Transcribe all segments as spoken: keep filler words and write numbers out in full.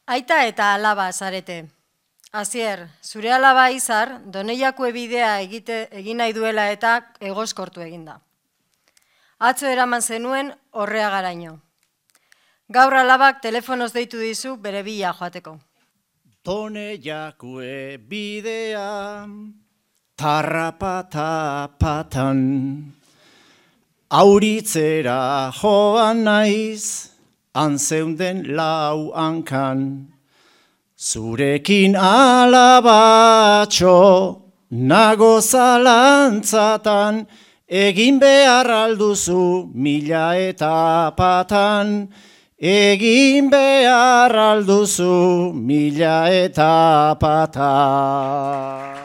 Aita eta alaba zarete. Azier, zure alaba Izar, Doneiakue bidea egite, egin nahi duela eta egoskortu eginda. Atzo eraman zenuen horrea garaino. Gaur alabak telefonoz deitu dizu bere bila joateko. Doneiakue bidea, tarrapatapatan, auritzera joan naiz, anzeunden lau hankan. Zurekin alabatxo, nago zalantzatan, egin behar alduzu mila eta patan, egin behar alduzu mila eta patan.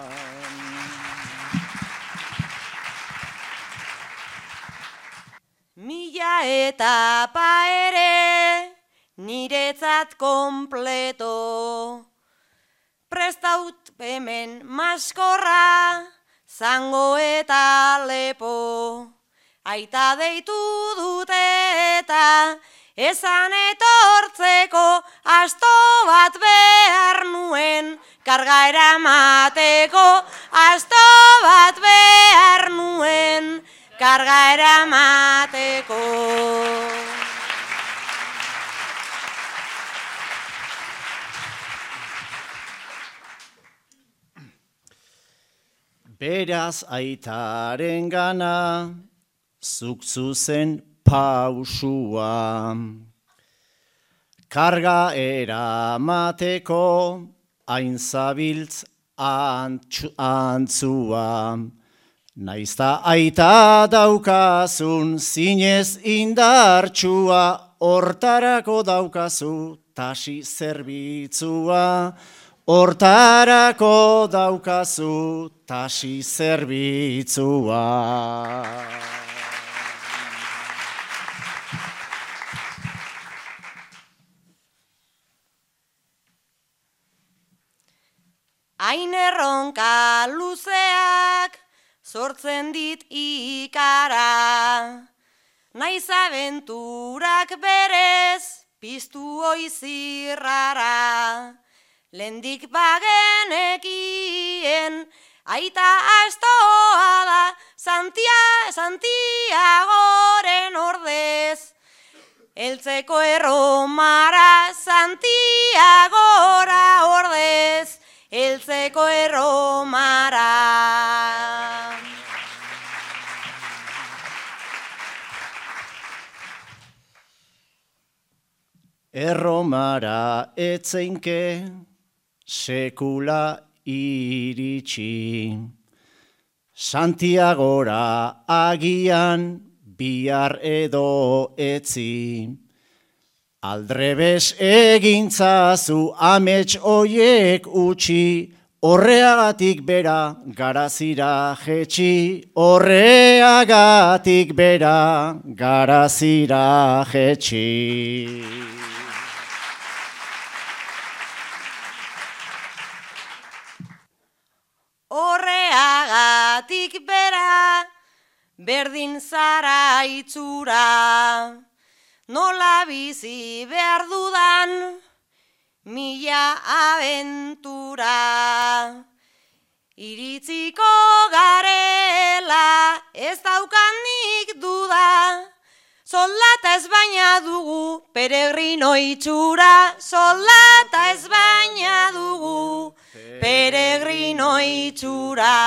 Mila etapa ere, niretzat kompleto. Prestaut hemen maskorra, zango eta lepo. Aita deitu dute eta esan etortzeko, asto bat behar nuen, karga eramateko. Asto bat behar nuen, karga eramateko. Beraz aitaren gana, zuk zuzen pausua. Karga eramateko, hain zabiltz antzua. Naizta aita daukazun, zinez indartsua, hortarako daukazu tasi zerbitzua. Hortarako daukazu tasi zerbitzua. Hain erronka luzeak sortzen dit ikara, naiz abenturak berez piztu oizirrara. Lendik bagenekien, aita astoa da, Santiagoren ordez. Eltzeko erromara, Santiagora ordez, eltzeko erromara. Erromara etzeinke, sekula iritsi, Santiagora agian bihar edo etzi. Aldrebes egintzazu amets oiek utxi, horreagatik bera garazira jetxi, horreagatik bera garazira jetxi. Horreagatik bera, berdin zara itzura, nola bizi behar dudan, mila abentura. Iritziko garela, ez daukanik duda, soldata ez baina dugu, peregrino itxura, soldata ez baina dugu, peregrino itxura.